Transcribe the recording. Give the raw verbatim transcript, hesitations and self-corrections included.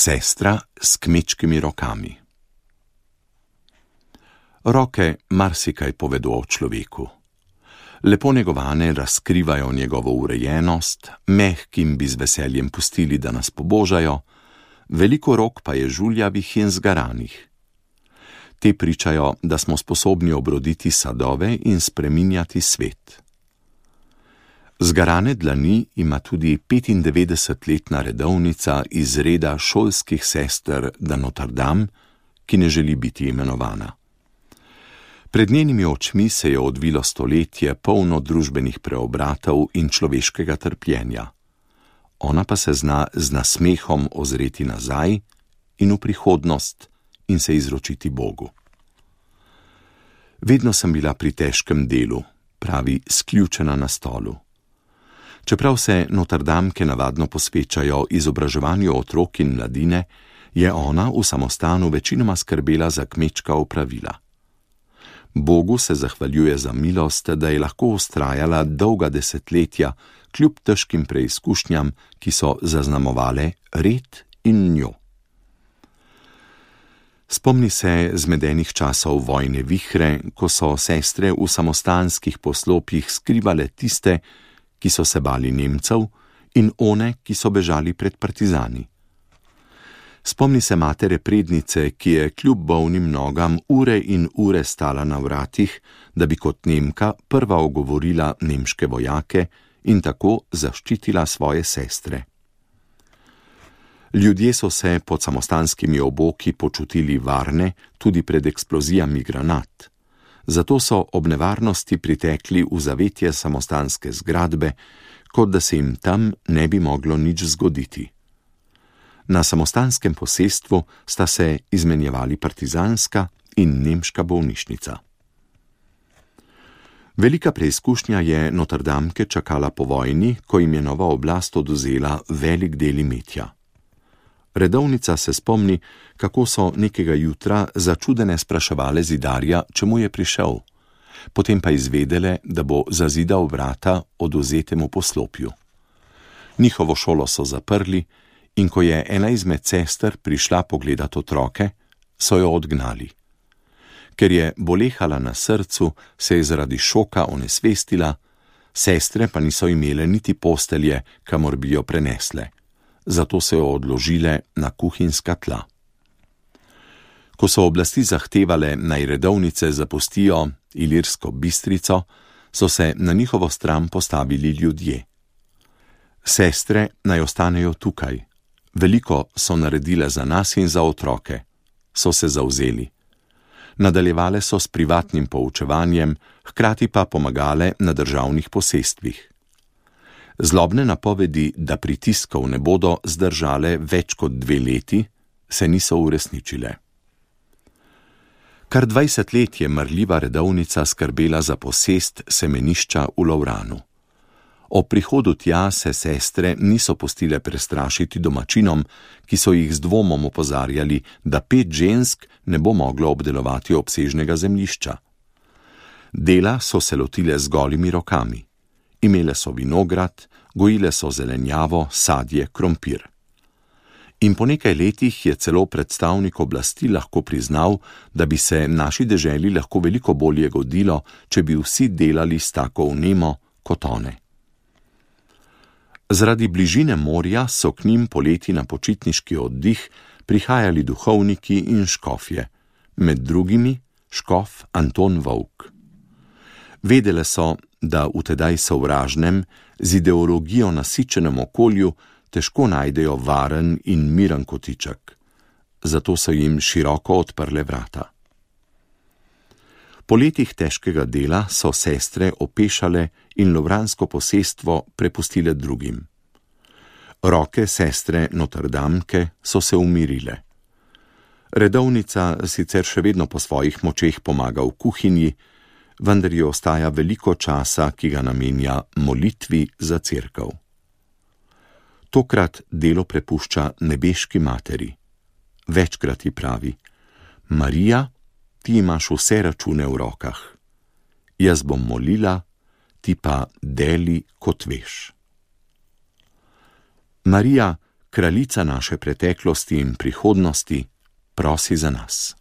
Sestra s kmečkimi rokami. Roke marsikaj povedo o človeku. Lepo negovane razkrivajo njegovo urejenost, mehkim bi z veseljem pustili, da nas pobožajo, veliko rok pa je žuljavih in zgaranih. Te pričajo, da smo sposobni obroditi sadove in spreminjati svet. Zgarane dlani ima tudi petindevetdesetletna redovnica iz reda šolskih sester de Notre Dame, ki ne želi biti imenovana. Pred njenimi očmi se je odvilo stoletje polno družbenih preobratov in človeškega trpljenja. Ona pa se zna z nasmehom ozreti nazaj in v prihodnost in se izročiti Bogu. Vedno sem bila pri težkem delu, pravi, sključena na stolu. Čeprav se Notrdamke navadno posvečajo izobraževanju otrok in mladine, je ona v samostanu večinoma skrbela za kmečka opravila. Bogu se zahvaljuje za milost, da je lahko vztrajala dolga desetletja, kljub težkim preizkušnjam, ki so zaznamovale red in njo. Spomni se zmedenih časov vojne vihre, ko so sestre v samostanskih poslopjih skrivale tiste, ki so se bali Nemcev, in one, ki so bežali pred partizani. Spomni se matere prednice, ki je kljub bolnim nogam ure in ure stala na vratih, da bi kot Nemka prva ogovorila nemške vojake in tako zaščitila svoje sestre. Ljudje so se pod samostanskimi oboki počutili varne tudi pred eksplozijami granat. Zato so ob nevarnosti pritekli v zavetje samostanske zgradbe, kot da se jim tam ne bi moglo nič zgoditi. Na samostanskem posestvu sta se izmenjevali partizanska in nemška bolnišnica. Velika preizkušnja je Notrdamke čakala po vojni, ko jim je nova oblast odvzela velik del imetja. Redovnica se spomni, kako so nekega jutra začudene spraševale zidarja, čemu je prišel, potem pa izvedele, da bo zazidal vrata odvzetemu poslopju. Njihovo šolo so zaprli in ko je ena izmed sester prišla pogledat otroke, so jo odgnali. Ker je bolehala na srcu, se je zaradi šoka onesvestila, sestre pa niso imele niti postelje, kamor bi jo prenesle. Zato so jo odložile na kuhinjska tla. Ko so oblasti zahtevale, naj redovnice zapustijo Ilirsko Bistrico, so se na njihovo stran postavili ljudje. Sestre naj ostanejo tukaj. Veliko so naredile za nas in za otroke. So se zavzeli. Nadaljevale so s privatnim poučevanjem, hkrati pa pomagale na državnih posestvih. Zlobne napovedi, da pritiskov ne bodo zdržale več kot dve leti, se niso uresničile. Kar dvajset let je marljiva redovnica skrbela za posest semenišča v Lovranu. O prihodu tja se sestre niso pustile prestrašiti domačinom, ki so jih z dvomom opozarjali, da pet žensk ne bo moglo obdelovati obsežnega zemljišča. Dela so se lotile z golimi rokami. Imele so vinograd, gojile so zelenjavo, sadje, krompir. In po nekaj letih je celo predstavnik oblasti lahko priznal, da bi se naši deželi lahko veliko bolje godilo, če bi vsi delali s tako vnemo kot one. Zaradi bližine morja so k njim poleti na počitniški oddih prihajali duhovniki in škofje, med drugimi škof Anton Volk. Vedele so, da v tedaj sovražnem, z ideologijo nasičenem okolju težko najdejo varen in miren kotiček. Zato so jim široko odprle vrata. Po letih težkega dela so sestre opešale in lovransko posestvo prepustile drugim. Roke sestre Notrdamke so se umirile. Redovnica sicer še vedno po svojih močeh pomaga v kuhinji, vendar ji ostaja veliko časa, ki ga namenja molitvi za cerkev. Tokrat delo prepušča nebeški materi. Večkrat ji pravi: Marija, ti imaš vse račune v rokah. Jaz bom molila, ti pa deli, kot veš. Marija, kraljica naše preteklosti in prihodnosti, prosi za nas.